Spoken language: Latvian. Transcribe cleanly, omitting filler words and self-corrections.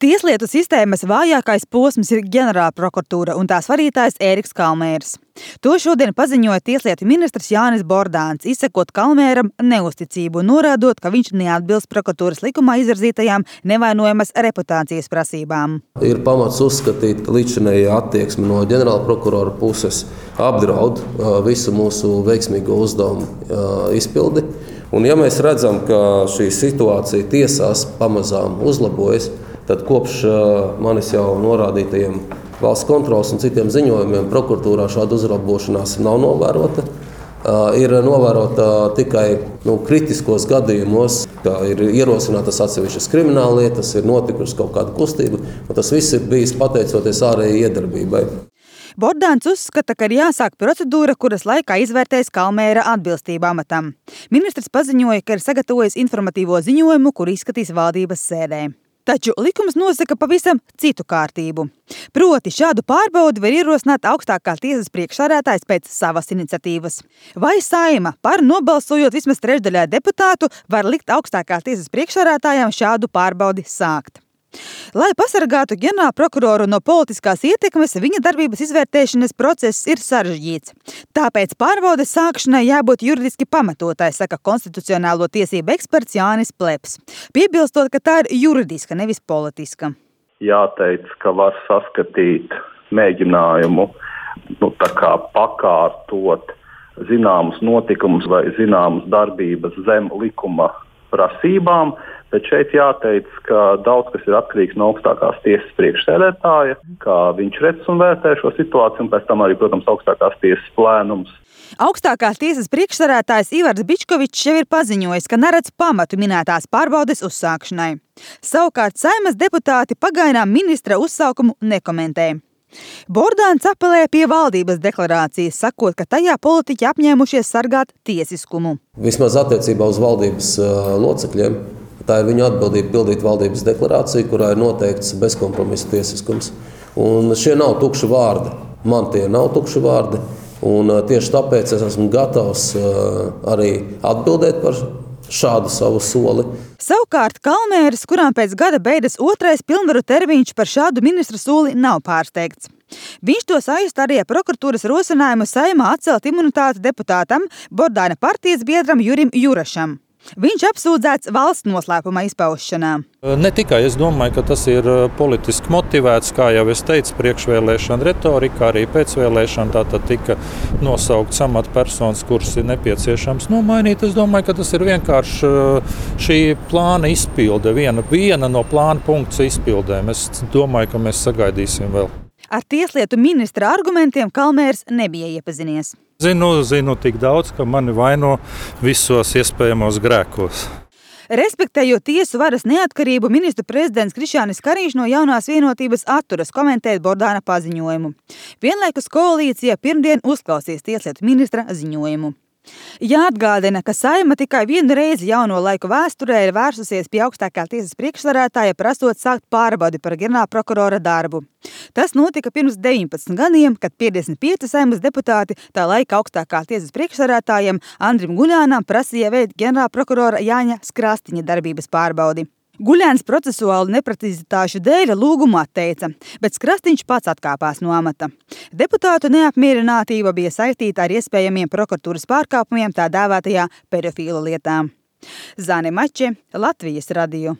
Tieslietu sistēmas vājākais posms ir ģenerālprokuratūra un tās vadītājs Ēriks Kalmērs. To šodien paziņoja tieslietu ministrs Jānis Bordāns, izsakot Kalmēram neusticību un norādot, ka viņš neatbilst prokuratūras likumā izvirzītajām nevainojamas reputācijas prasībām. Ir pamats uzskatīt, ka līdzinējā attieksme no ģenerālprokurora puses apdraud visu mūsu veiksmīgo uzdevumu izpildi. Un ja mēs redzam, ka šī situācija tiesās pamazām uzlabojas, tad kopš manis jau norādītajiem valsts kontroles un citiem ziņojumiem prokuratūrā šāda uzlabošanās nav novērota. Ir novērota tikai kritiskos gadījumos, ka ir ierosinātas atsevišķas krimināllietas, ir notikusi kaut kāda kustība, un tas viss ir bijis pateicoties ārējai iedarbībai. Bordāns uzskata, ka ir jāsāk procedūra, kuras laikā izvērtēs Kalmēra atbilstību amatam. Ministrs paziņoja, ka ir sagatavojis informatīvo ziņojumu, kur izskatīs valdības sēdē. Taču likums nosaka pavisam citu kārtību. Proti šādu pārbaudi var ierosināt augstākā tiesas priekšsēdētājs pēc savas iniciatīvas. Vai Saeima par nobalsojot vismaz trešdaļai deputātu var likt augstākā tiesas priekšsēdētājam šādu pārbaudi sākt. Lai pasargātu ģenerālprokuroru no politiskās ietekmes, viņa darbības izvērtēšanas process ir sarežģīts. Tāpēc pārbaudes sākšanai jābūt juridiski pamatotai, saka konstitucionālo tiesību eksperts Jānis Pleps. Piebilstot, ka tā ir juridiska, nevis politiska. Jāteic, ka var saskatīt mēģinājumu pakārtot zināmus notikumus vai zināmas darbības zem likuma prasībām, bet šeit jāteic, ka daudz kas ir atkarīgs no augstākās tiesas priekšsēdētāja, kā viņš redz un vērtē šo situāciju, un pēc tam arī, protams, augstākās tiesas plēnums. Augstākās tiesas priekšsēdētājs Ivars Bičkovičs jau ir paziņojis, ka neredz pamatu minētās pārbaudes uzsākšanai. Savukārt Saeimas deputāti pagaidām ministra uzsaukumu nekomentē. Bordāns apelē pie valdības deklarācijas, sakot, ka tajā politiķi apņēmušies sargāt tiesiskumu. Vismaz attiecībā uz valdības locekļiem, tā ir viņu atbildība pildīt valdības deklarāciju, kurā ir noteikts bezkompromisa tiesiskums. Un šie nav tukši vārdi. Man tie nav tukši vārdi. Un tieši tāpēc es esmu gatavs arī atbildēt par šādu savu soli. Savukārt Kalmēris, kurām pēc gada beidzas otrais pilnvaru termiņš, par šādu ministra soli nav pārsteigts. Viņš to saista arī ar prokuratūras rosinājumu Saeimā atcelt imunitāti deputātam Bordāna partijas biedram Jurim Jurašam. Viņš apsūdzēts valsts noslēpuma izpaušanā. Ne tikai es domāju, ka tas ir politiski motivēts, kā jau es teicu, priekšvēlēšana retorika, arī pēcvēlēšana tātad tika nosaukts amatpersonas, kuras ir nepieciešams nomainīt. Es domāju, ka tas ir vienkārši šī plāna izpilde, viena no plāna punkts izpildēm. Es domāju, ka mēs sagaidīsim vēl. Ar tieslietu ministra argumentiem Kalmērs nebija iepazinies. Zinu tik daudz, ka mani vaino visos iespējamos grēkos. Respektējot tiesu varas neatkarību, ministru prezidents Krišjānis Kariņš no Jaunās vienotības atturas komentēt Bordāna paziņojumu. Vienlaikus koalīcija pirmdien uzklausīs tieslietu ministra ziņojumu. Jāatgādina, ka Saeima tikai vienu reizi jauno laiku vēsturē ir vērsusies pie augstākā tiesas priekšsēdētāja, prasot sākt pārbaudi par ģenerālprokurora darbu. Tas notika pirms 19 gadiem, kad 55 Saeimas deputāti tā laika augstākā tiesas priekšsēdētājam Andrim Guļānam prasīja veikt ģenerālprokurora Jāņa Skrastiņa darbības pārbaudi. Guļāns procesuālu neprecizitāšu dēļ lūgumu atteica, bet Skrastiņš pats atkāpās no amata. Deputātu neapmierinātība bija saistīta ar iespējamiem prokuratūras pārkāpumiem tā dēvētajā pedofīlu lietā. Zane Mače, Latvijas radio.